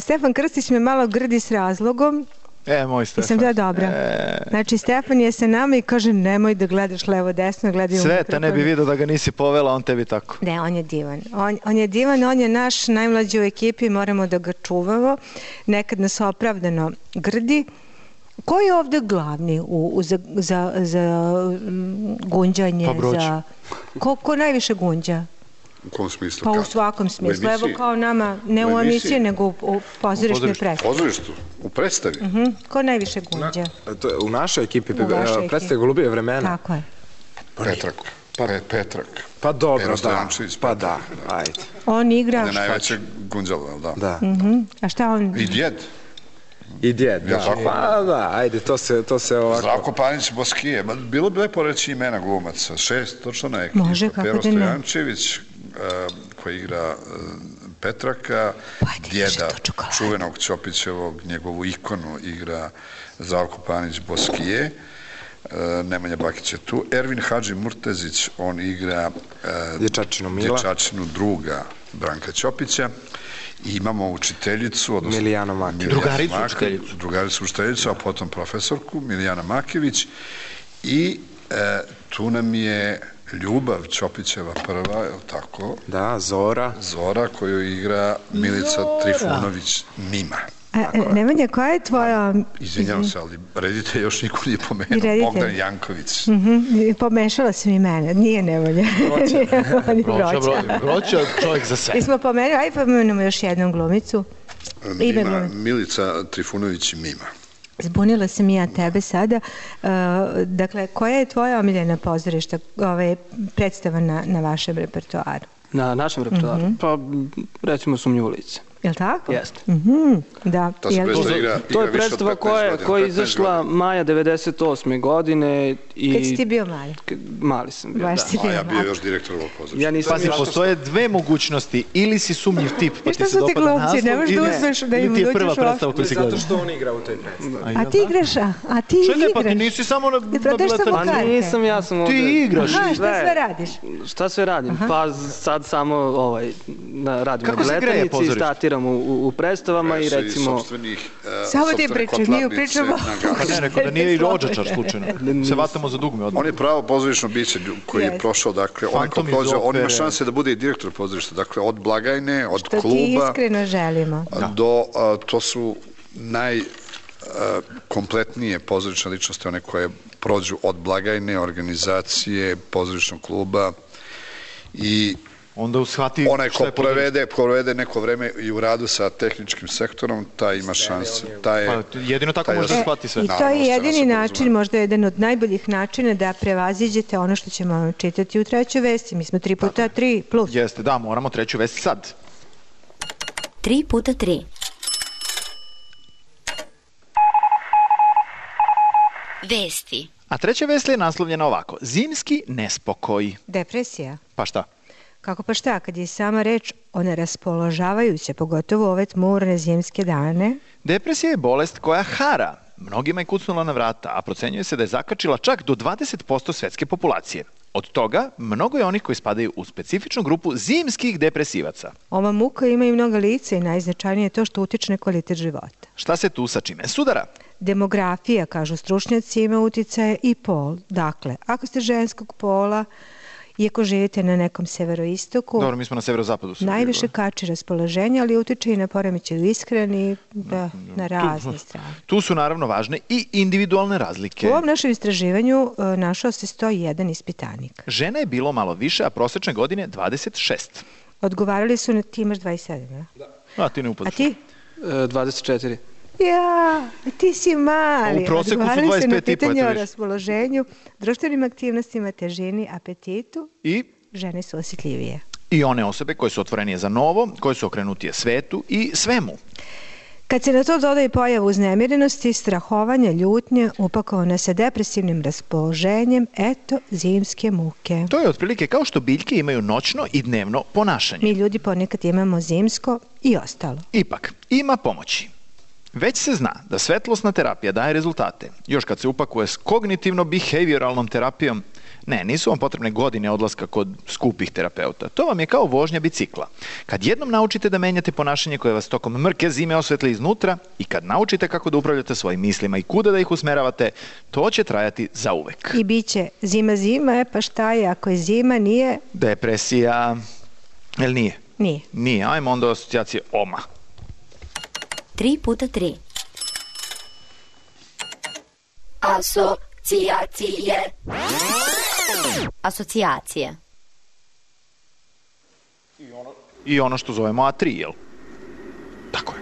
Stefan Krstić me malo grdi s razlogom. Moj Stefan. Sam da dobra. Znači, Stefan je sa nama i kaže nemoj da gledaš levo desno, gledaj u mikrofon. Sveta ne bi vidio da ga nisi povela, on tebi tako. Ne, on je divan. On je divan, on je naš najmlađi u ekipi, moramo da ga čuvamo. Nekad nas opravdano grdi. Ko je ovde glavni za gunđanje? Pa Broć. Ko najviše gunđa? U kom smislu? Pa u svakom smislu. Evo kao nama, ne u emisiji, nego u pozorišnoj predstavi. U pozorištu? U predstavi? Ko najviše gunđa? U našoj ekipi predstavi Golubije vremena. Tako je. Petrak. Pa dobro, da. Pa da, ajde. On igra... On je najveće gunđalo, da? A šta on... I djed, da. Pa da, ajde, to se ovako... Zdravko Panić Boskije, bilo bi lepo reći imena glumaca, 6, točno na ekipa. Može, kako da ne. Pero Stojančević, koji igra Petraka, djeda čuvenog Ćopićevog, njegovu ikonu igra Zdravko Panić Boskije, Nemanja Bakić je tu, Ervin Hadži Murtezić, on igra dječačinu druga Branka Ćopića, i imamo učiteljicu, Milijana Makević. Drugaricu učiteljicu, a potom profesorku Milijana Makević i tu nam je Ljubav Ćopićeva prva, je li tako? Da, Zora. Zora koju igra Milica Trifunović Mima. Nemanja, koja je tvoja... Izvinjavam se, ali redite još niko nije pomenuo. Bogdan Janković. Pomešala sam i mene, nije Nemanja. Broća čovjek za sve. Mi smo pomenuli, ajde pomenemo još jednom glumicu. Milica Trifunović Mima. Zbunila sam i ja tebe sada. Dakle, koja je tvoja omiljena pozorišta predstava na vašem repertoaru? Na našem repertoaru? Pa, recimo Sumnjivo lice. Je li tako? Jeste. Da. To je predstava koja je izašla maja 98. godine. Kad si ti bio mali? Mali sam bio, da. A ja bio još direktor ovog pozorišta. Pazi, postoje dve mogućnosti. Ili si sumnjiv tip, pa ti se dopada naslov, ili ti je prva predstava koju si gledao. Zato što on igra u toj predstavi. A ti igraš? A ti igraš? Pa ti nisi samo dobila telefon. Pa nisam, ja sam ovde. Ti igraš. Aha, šta sve radiš? Šta sve radim? Pa sad samo radim na biletanici i statiram u predstavama i recimo... Samo ti pričam, nije pričamo. Pa ne, rekao da nije i rođačar slučajno. Se vatamo za dugme odmah. On je pravo pozorišno biće koji je prošao, dakle, on ima šanse da bude i direktor pozorišta, dakle, od blagajne, od kluba... Što ti iskreno želimo. To su najkompletnije pozorišne ličnosti, one koje prođu od blagajne, organizacije, pozorišnog kluba i onda shvati onaj ko provede neko vreme i u radu sa tehničkim sektorom, taj ima šanse. Jedino tako može da shvati sve. I to je jedini način, možda jedan od najboljih načina da prevaziđete ono što ćemo vam čitati u trećoj vesti. Mi smo 3x3 plus. Jeste, da, moramo treću vest sad. 3x3. Vesti. A treća vest je naslovljena ovako. Zimski nespokoj. Depresija. Pa šta? Kako pa šta, kad je sama reč o neraspoložavajuće, pogotovo ove tmurne zimske dane? Depresija je bolest koja hara. Mnogima je kucnula na vrata, a procenjuje se da je zakačila čak do 20% svetske populacije. Od toga, mnogo je onih koji spadaju u specifičnu grupu zimskih depresivaca. Ova muka ima i mnoga lica i najznačajnije je to što utiče na kvalitet života. Šta se tu sa čime sudara? Demografija, kažu stručnjaci, ima uticaje i pol. Dakle, ako ste ženskog pola, iako živite na nekom severoistoku, dobro, mi smo na severozapadu. Najviše kači raspoloženje, ali utiče i na poremećaj u ishrani, na razne strane. Tu su naravno važne i individualne razlike. U ovom našem istraživanju našao se 101 ispitanik. Žena je bilo malo više, a prosečne godine 26. Odgovarali su na ti imaš 27, ne? Da. A ti ne upadaš. A ti? 24. Ja, ti si mali. U proseku su 25,5. Odgovarali su na pitanje o raspoloženju, društvenim aktivnostima, težini, apetitu. I? Žene su osjetljivije. I one osobe koje su otvorenije za novo, koje su okrenutije svetu i svemu. Kad se na to doda i pojava uznemirenosti, strahovanja, ljutnje, upakovane sa depresivnim raspoloženjem, eto, zimske muke. To je otprilike kao što biljke imaju noćno i dnevno ponašanje. Mi ljudi ponekad imamo zimsko i ostalo. Ipak, ima pomoći. Već se zna da svetlosna terapija daje rezultate. Još kad se upakuje s kognitivno-behavioralnom terapijom, nisu vam potrebne godine odlaska kod skupih terapeuta. To vam je kao vožnja bicikla. Kad jednom naučite da menjate ponašanje koje vas tokom mrke zime osvetli iznutra i kad naučite kako da upravljate svojim mislima i kuda da ih usmeravate, to će trajati zauvek. I bit će zima, pa šta je ako je zima, nije? Depresija. Jel nije? Nije. Nije, ajmo onda asocijacije OMA. 3x3. Asocijacije. Asocijacije. I ono što zovemo A3, jel? Tako je.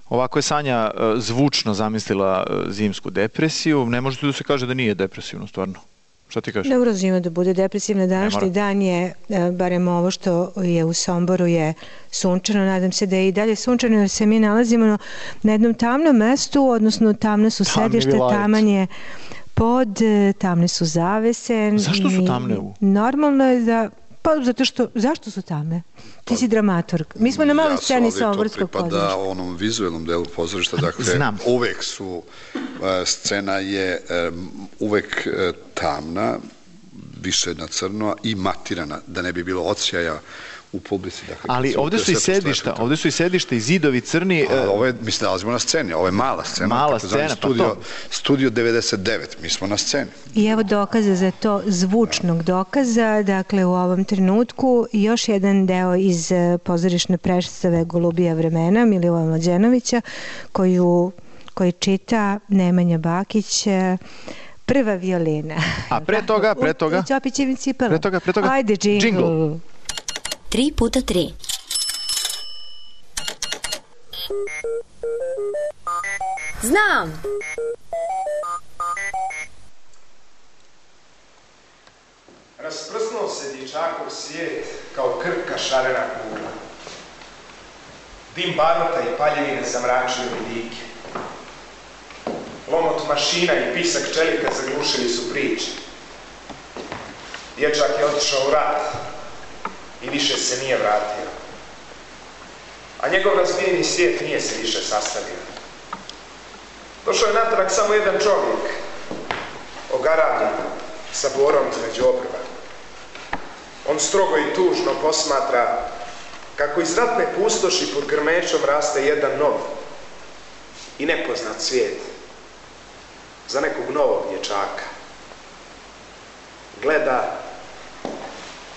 Ovako je Sanja zvučno zamislila zimsku depresiju. Ne može da se kaže da nije depresivno, stvarno. Šta ti kažeš? Ne mora zima da bude depresivna. Današnji dan je, barem ovo što je u Somboru, je sunčano. Nadam se da je i dalje sunčano, jer se mi nalazimo na jednom tamnom mestu, odnosno tamne su sedište, taman je pod, tamne su zavese. Zašto su tamne? Normalno je da... Pa zato što, zašto su tamne? Ti si dramaturg. Mi smo na maloj sceni Somborskog pozorišta. To pripada onom vizuelnom delu pozorišta, dakle, uvek su, scena je uvek tamna, više na crno i matirana, da ne bi bilo odsjaja u publici. Ali ovde su i sedišta i zidovi crni. Ovo je, mi se nalazimo na sceni, ovo je mala scena. Mala scena, pa to. Studio 99, mi smo na sceni. I evo dokaza za to, zvučnog dokaza, dakle u ovom trenutku još jedan deo iz pozorišne predstave Golubija vremena Milivoja Mlađenovića koji čita Nemanja Bakić, Prva violina. A pre toga? U Ćopićevim cipelama. Pre toga? Ajde, džingl. 3x3. Znam! Rasprsnuo se dječakov svijet kao krhka šarena kugla. Dim baruta i paljevine zamračili vidike. Lomot mašina i pisak čelika zaglušili su priče. Dječak je otišao u rat i više se nije vratio. A njegov razbijeni svijet nije se više sastavio. Došao je natrag samo jedan čovjek, ogaravljen, sa borom između obrva. On strogo i tužno posmatra kako iz ratne pustoši pod grmećom raste jedan nov i nepoznat svijet za nekog novog dječaka. Gleda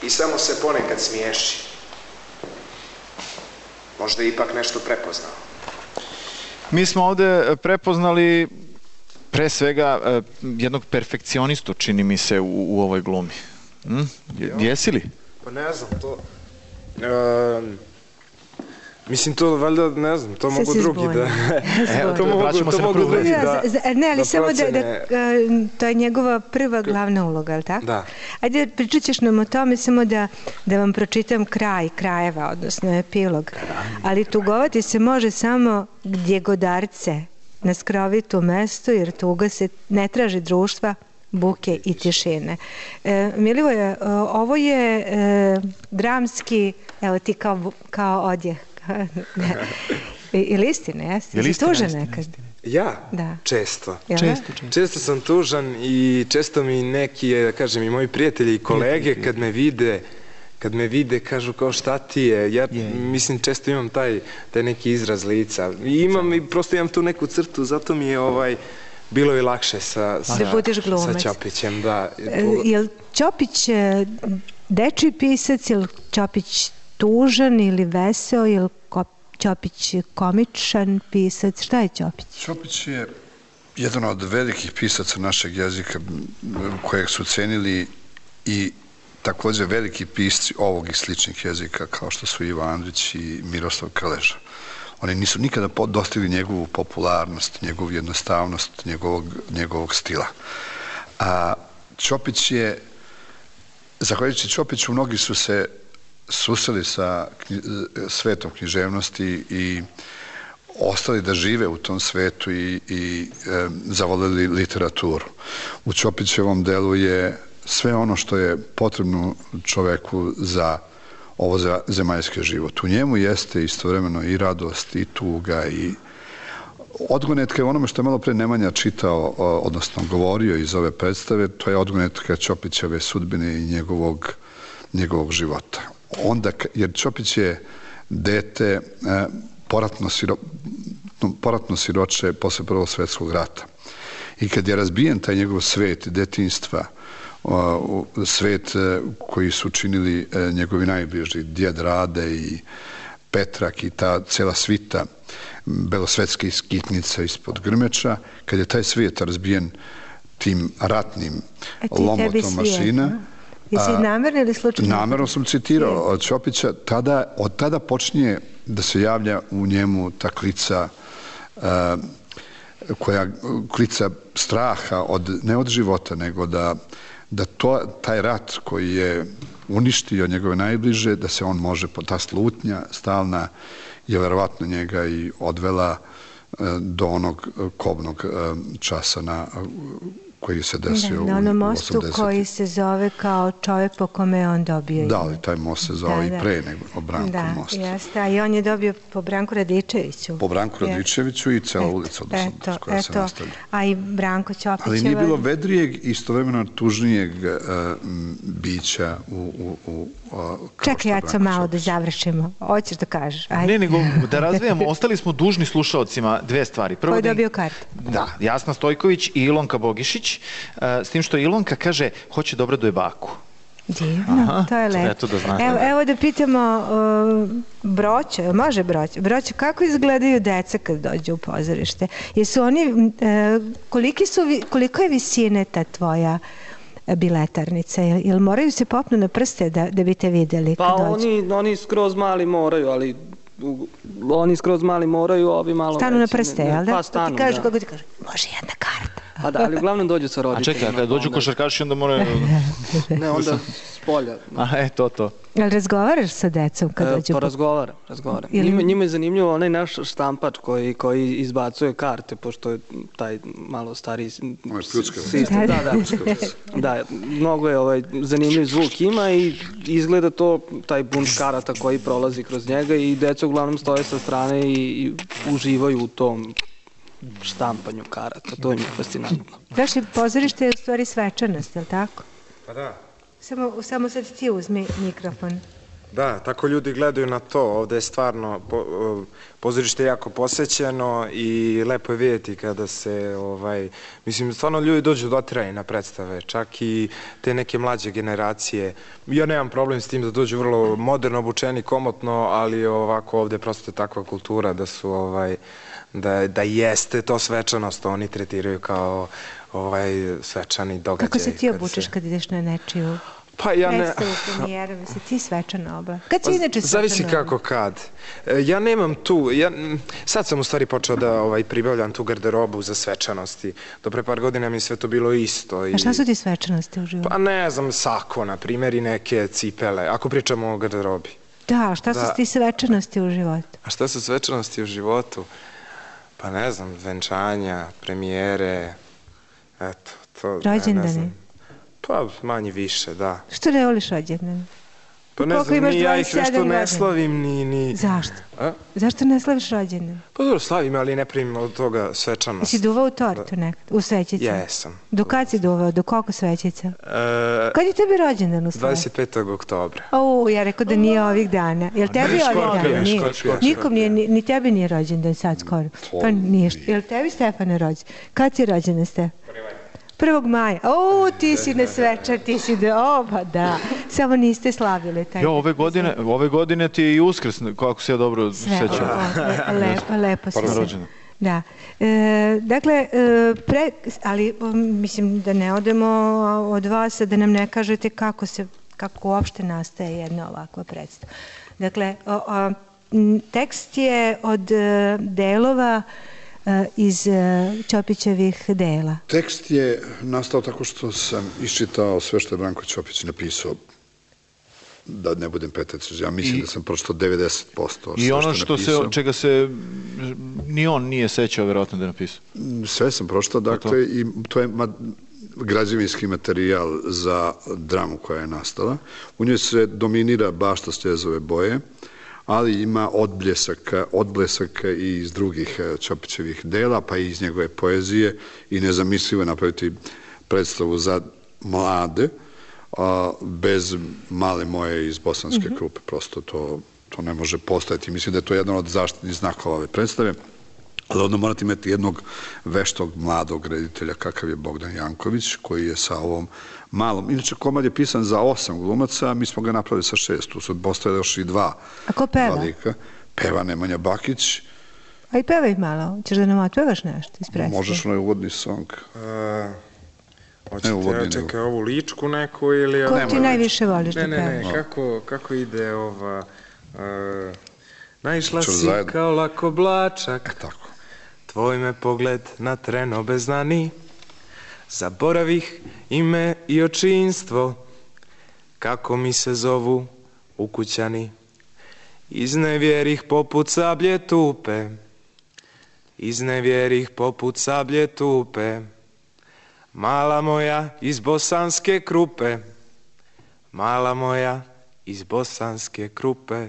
i samo se ponekad smiješi. Možda je ipak nešto prepoznao. Mi smo ovde prepoznali pre svega jednog perfekcionistu, čini mi se, u ovoj glumi. Jesi li? Pa ne znam, to... Mislim, to valjda, ne znam, to mogu drugi da... To mogu drugi da... Ne, ali samo da to je njegova prva glavna uloga, ali tako? Da. Ajde, pričat ćeš nam o tome, samo da vam pročitam krajeva, odnosno epilog. Ali tugovati se može samo gdje godarce na skrovitu mestu, jer tuga se ne traži društva, buke i tišine. Milivoje, ovo je dramski, evo ti kao odjeh. Ili istina, jesi? Jesi tužan nekad? Ja? Da. Često. Često sam tužan i često mi neki, da kažem, i moji prijatelji i kolege kad me vide kažu kao šta ti je. Ja mislim često imam taj neki izraz lica. I prosto imam tu neku crtu, zato mi je bilo i lakše sa Ćopićem. Da. Je li Ćopić dečiji pisac, je li Ćopić tužan ili veseo, je li Ćopić komičan pisac? Šta je Ćopić? Ćopić je jedan od velikih pisaca našeg jezika kojeg su cenili i također veliki pisci ovog i sličnih jezika kao što su Ivo Andrić i Miroslav Krleža. Oni nisu nikada dostigli njegovu popularnost, njegovu jednostavnost, njegovog stila. A Ćopić je, zahvaljujući Ćopiću, mnogi su se susreli sa svetom književnosti i ostali da žive u tom svetu i zavoleli literaturu. U Ćopićevom delu je sve ono što je potrebno čoveku za ovo zemaljski život. U njemu jeste istovremeno i radost, i tuga, i odgonetka je onome što je malo pre Nemanja čitao, odnosno govorio iz ove predstave, to je odgonetka Ćopićeve sudbine i njegovog života. Jer Ćopić je dete poratno siroče posle Prvog svjetskog rata. I kad je razbijen taj njegov svet detinjstva, svet koji su činili njegovi najbliži, djed Rade i Petrak i ta cela svita belosvetske skitnica ispod Grmeča, kad je taj svijet razbijen tim ratnim lomotom mašina. Jesi namerno ili slučajno? Namerno sam citirao od Ćopića. Od tada počinje da se javlja u njemu ta klica klica straha, ne od života, nego da taj rat koji je uništio njegove najbliže, da se on može, ta slutnja stalna je verovatno njega i odvela do onog kobnog časa koji se desio u Na onom mostu 80. koji se zove kao čovjek po kome je on dobio. Da, ali taj most se zvao i pre nego o Branku most. Da, jeste, a i on je dobio po Branku Radičeviću. Po Branku Radičeviću i cela ulica koja se nastavlja. A i Branko Ćopićeva. Ali nije bilo vedrijeg, istovremeno tužnijeg bića Čekaj, ja sam malo da završimo. Hoćeš da kažeš? Ne, nego da razvijamo. Ostali smo dužni slušaocima dve stvari. Ko je dobio kartu? Da, Jasna Stojković i Ilonka Bogišić. S tim što Ilonka kaže, hoće dobro do baku. Divno, to je lepo. Eto da znate. Evo da pitamo Broćo, može Broćo? Broćo, kako izgledaju deca kad dođu u pozorište? Jesu oni, koliko je visine ta tvoja biletarnica? Jel moraju se popnu na prste da bi te videli kad dođu? Pa oni skroz mali moraju, ali oni skroz mali moraju, ovi malo... Stanu na prste, jel da? Pa stanu, da. Kako ti kažu, može jedna karta. A da, ali uglavnom dođu sa roditeljima. A čekaj, kada dođu košarkaši onda moraju... Ne, onda s polja. A, to. Jel razgovaraš sa decom kad dođu? Pa razgovaram. Njima je zanimljivo onaj naš štampač koji izbacuje karte, pošto je taj malo stariji sistem. Da, mnogo je zanimljiv zvuk ima i izgleda to, taj bunč karata koji prolazi kroz njega i deca uglavnom stoje sa strane i uživaju u tom štampanju karata. To je mi fascinantno. Vaše pozorište je u stvari svečanost, je li tako? Pa da. Samo sad ti uzmi mikrofon. Da, tako ljudi gledaju na to. Ovde je stvarno pozorište jako posećeno i lepo je vidjeti kada se, mislim, stvarno ljudi dođu dotirani na predstave, čak i te neke mlađe generacije. Ja nemam problem s tim da dođu vrlo moderno obučeni, komotno, ali ovako ovde prosto je takva kultura da su, da jeste to svečanost, oni tretiraju kao svečani događaj. Kako se ti obučeš kad ideš na nečiju predstavu premijeru? Si ti svečana oba? Kad si inače svečana? Zavisi kako kad. Ja nemam tu, sad sam u stvari počeo da pribavljam tu garderobu za svečanosti. Do pre par godina mi sve to bilo isto. A šta su ti svečanosti u životu? Pa ne znam, sako, na primjer, i neke cipele, ako pričamo o garderobi. Da, šta su ti svečanosti u životu? A šta su svečanosti u životu? Pa ne znam, venčanja, premijere, eto, to... Rođendani? Pa manje više, da. Što ne voliš rođendani? Pa ne znam, ni ja ih nešto ne slavim, ni... Zašto? Zašto ne slaviš rođendan? Pa dobro, slavim, ali ne primim od toga svečanost. Jesi duvao u tortu nekad, u svećicu? Jesam. Do kad si duvao, do koliko svećica? Kad je tebi rođendan u stvari? 25. oktobra. Ja rekao da nije ovih dana. Jel tebi ovih dana? Nije. Nikom nije, ni tebi nije rođendan sad skoro. Pa nije. Jel tebi Stefane rođendan? Kad si rođendan, Stefan? 1. maja. Ti si nesvečan, ti si pa da. Samo niste slavili taj. Ove godine ti je i Uskrs, kako se ja dobro sećam. Lepo se se. Da. Dakle, ali mislim da ne odemo od vas, da nam ne kažete kako uopšte nastaje jedna ovakva predstava. Dakle, tekst je od delova iz Ćopićevih dela. Tekst je nastao tako što sam iščitao sve što je Branko Ćopić napisao, da ne budem petec, ja mislim da sam pročitao 90%. I ono čega se ni on nije sećao verovatno da je napisao. Sve sam pročitao, dakle, i to je građevinski materijal za dramu koja je nastala. U njoj se dominira bašta stjezove boje, ali ima odblesaka i iz drugih Ćopićevih dela, pa i iz njegove poezije, i nezamislivo je napraviti predstavu za mlade, bez Male moje iz Bosanske Krupe. Prosto to ne može postojati. Mislim da je to jedan od zaštitnih znakova ove predstave. Ali onda morate imati jednog veštog mladog reditelja kakav je Bogdan Janković, koji je sa ovom malom. Inače, komad je pisan za 8 glumaca, a mi smo ga napravili sa 6. Tu su postoje još i 2. A ko peva? Peva Nemanja Bakić. A i pevaj malo. Ćeš da nam otpevaš nešto iz predstave? Možeš onaj uvodni song. Hoćete, čekaj, ovu ličku neku ili... Ko ti najviše voliš da pevaš? Ne, kako ide ova... Naišla si kao lako oblačak, tvoj me pogled na tren obeznani, zaboravih ime i očinstvo, kako mi se zovu ukućani. Iznevjerih poput sablje tupe, iznevjerih poput sablje tupe, Mala moja iz Bosanske Krupe, mala moja iz Bosanske Krupe.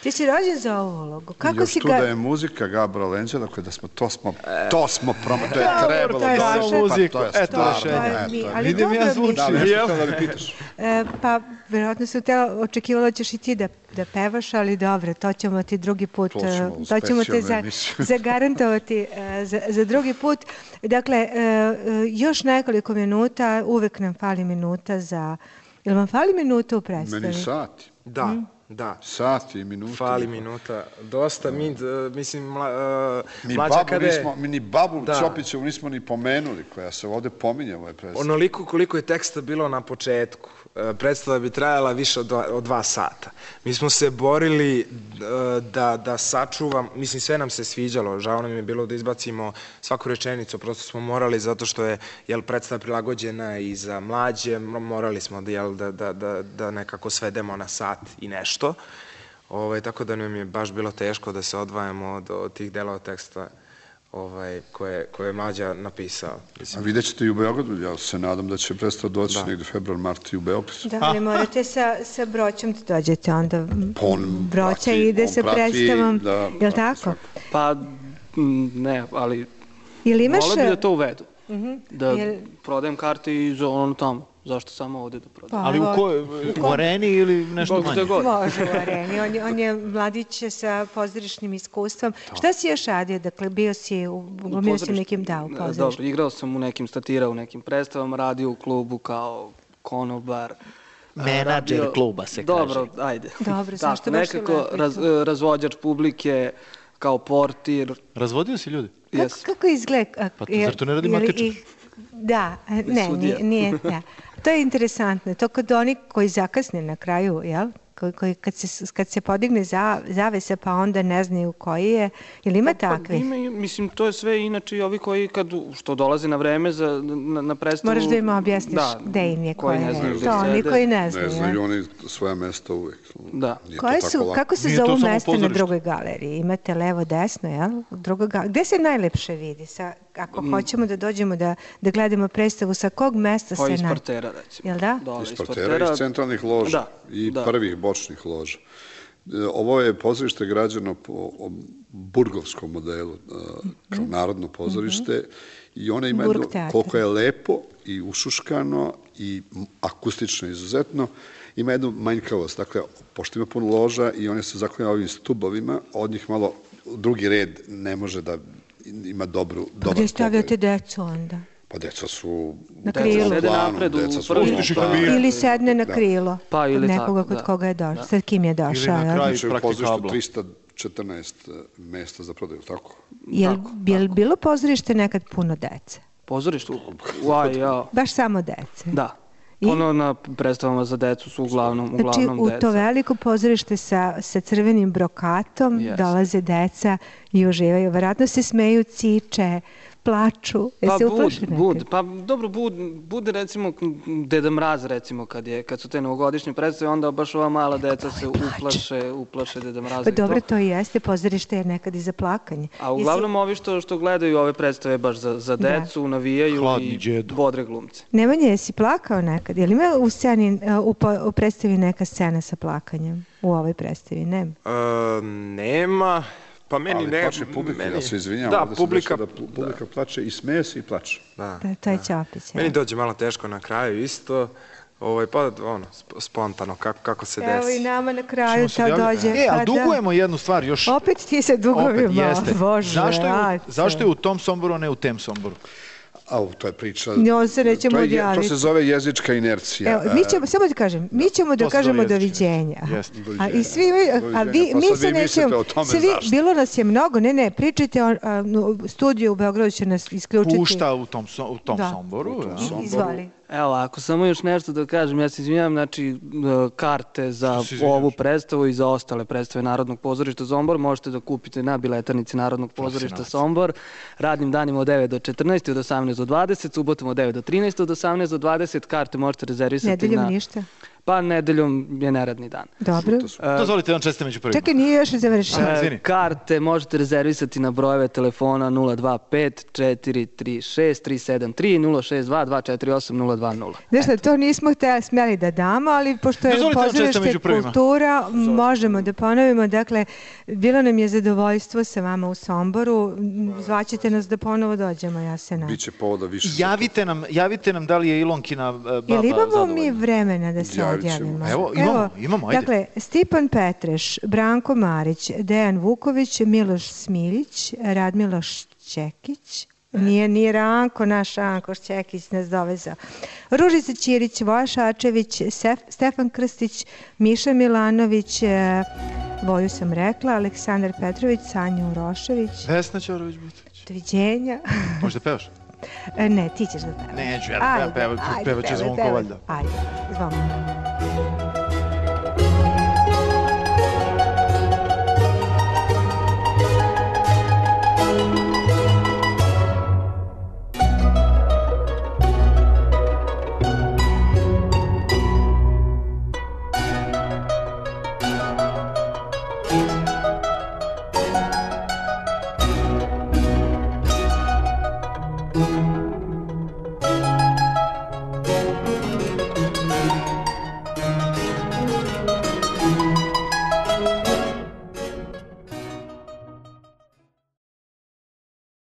Ti si rođen za ovu ulogu. Kako još si tu ga... da je muzika Gabra Lenđa, dakle da smo, to smo promo, to je trebalo to je da vaše. muziku, eto rešenje. Vidim ja zvuči. Da, nešto da mi pitaš. Pa, verovatno sam očekivala da ćeš i ti da pevaš, ali dobro, to ćemo ti drugi put, to ćemo te zagarantovati za drugi put. Dakle, još nekoliko minuta, uvek nam fali minuta za... Jel vam fali minuta u predstavi? Meni sati. Da. Sati i minuta. Fali minuta. Dosta, mislim, mi ni babu Ćopićevu nismo ni pomenuli, koja se ovde pominje u ovoj predstavi. Onoliko koliko je teksta bilo na početku, predstava bi trajala više od 2 sata. Mi smo se borili da sačuvam, mislim, sve nam se sviđalo, žao nam je bilo da izbacimo svaku rečenicu, prosto smo morali, zato što je predstava prilagođena i za mlađe, morali smo da nekako svedemo na sat i nešto, tako da nam je baš bilo teško da se odvajamo od tih delova teksta koje je Mlađa napisao. A vidjet ćete i u Beogradu, ja se nadam da će predstava doći negde februar, mart i u Beogradu. Da, ali morate sa Broćom da dođete onda. Broća ide sa predstavom, je li tako? Pa ne, ali volio bi da to uvedu. Da prodajem karte i za ono tamo. Zašto samo ovde da prodam? Ali u areni ili nešto manje? Može u areni. On je mladić sa pozorišnim iskustvom. Šta si još radio? Dakle, bio si u nekim pozorištu. Dobro, igrao sam u nekim statirao, u nekim predstavama, radio u klubu kao konobar. Menadžer kluba se kaže. Dobro, ajde. Dobro, zašto baš nekako razvođač publike, kao portir. Razvodio si ljudi? Kako izgleda? Pa zar to ne radi Matičar? Da, nije. To je interesantno. To kod oni koji zakasne na kraju, jel? Kad se podigne zavesa pa onda ne znaju koji je. Ili ima takvi? Mislim, to je sve inače i ovi koji što dolaze na vreme na predstavu... Moraš da im objasniš gde im je koji je. To oni koji ne znaju. Ne znaju oni svoja mesta uvek. Da. Kako se zovu mesta na drugoj galeriji? Imate levo, desno, jel? Gde se najlepše vidi? Ako hoćemo da dođemo da gledamo predstavu, sa kog mesta se... Iz partera, recimo. Jel da? Iz partera, iz centralnih loža i prvih bočnih loža. Ovo je pozorište građeno po burgovskom modelu, kao narodno pozorište, i ona ima jedno, koliko je lepo i ušuškano i akustično izuzetno, ima jednu manjkavost. Dakle, pošto ima puno loža i one se zaklanja ovim stubovima, od njih malo drugi red ne može da ima dobar pogled. Gde stavljate decu onda? Pa deca su na krilu. Sede napred u ili sedne na krilo. Pa ili tako. Nekoga kod koga je došao. Sad kim je došao? Ili na kraju pozorištu 314 mesta za prodaju, tako? Je li bilo pozorište nekad puno dece? Pozorište? Baš samo dece? Da. Ono na predstavama za decu su uglavnom deca. Znači, u to veliko pozorište sa crvenim brokatom dolaze deca i uživaju. Vjerojatno se smeju, ciče, plaču. Pa dobro, bude recimo Deda Mraz, recimo, kad su te novogodišnje predstave, onda baš ova mala deca se uplaše Deda Mraza. Pa dobro, to i jeste, pozorište je nekad i za plakanje. A uglavnom ovi što gledaju ove predstave baš za decu, navijaju i bodre glumce. Nemanja, jesi plakao nekad? Je li ima u sceni, u predstavi neka scena sa plakanjem? U ovoj predstavi, nema? Nema. Pa meni ne... Ali plače publika, ja se izvinjam. Da, publika plače i smeje se i plače. To je Ćopić. Meni dođe malo teško na kraju isto. Pa spontano, kako se desi. Evo i nama na kraju to dođe. Ali dugujemo jednu stvar još. Opet ti se dugovimo, Bože. Zašto je u tom Somboru, a ne u tem Somboru? To je priča. To se zove jezička inercija. Evo, samo da kažem, mi ćemo da kažemo doviđenja. I svi, mi se nećemo, bilo nas je mnogo, ne, pričajte, studiju u Beogradu će nas isključiti. Pušta u tom Somboru. Izvoli. Evo, ako samo još nešto da kažem, ja se izvinjam, znači, karte za ovu predstavu i za ostale predstave Narodnog pozorišta Sombor možete da kupite na biletarnici Narodnog pozorišta Sombor, radnim danima od 9 do 14, od 18 do 20, subotom od 9 do 13, od 18 do 20, karte možete rezervisati na... Nedeljom ništa? Pa nedeljom je neradni dan. Dobro. Dozvolite vam čestite među prvima. Čekaj, nije još završeno. Karte možete rezervisati na brojeve telefona 025-436-373 062 248 020. Znaš da, to nismo smjeli da damo, ali pošto je pozorište kultura, možemo da ponovimo. Dakle, bilo nam je zadovoljstvo sa vama u Somboru. Zvaćete nas da ponovo dođemo, ja se nadam. Biće povoda više. Javite nam da li je Ilonkina baba zadovoljna. Ili imamo mi vremena da se odjavimo? Evo, imamo, ajde. Dakle, Stipan Petreš, Branko Marić, Dejan Vuković, Miloš Smiljić, Radmila Šćekić, nije Ranko, naš Ranko Šćekić nas dovezao. Ružica Ćirić, Voja Šačević, Stefan Krstić, Miša Milanović, Voju sam rekla, Aleksandar Petrović, Sanja Urošević. Vesna Ćorović-Butović. Doviđenja. Možda pevaš? Ne, ti ćeš da pevaš. Neću, ja pevat će Zvonko valjda. Ajde, Zvonko. Thank you.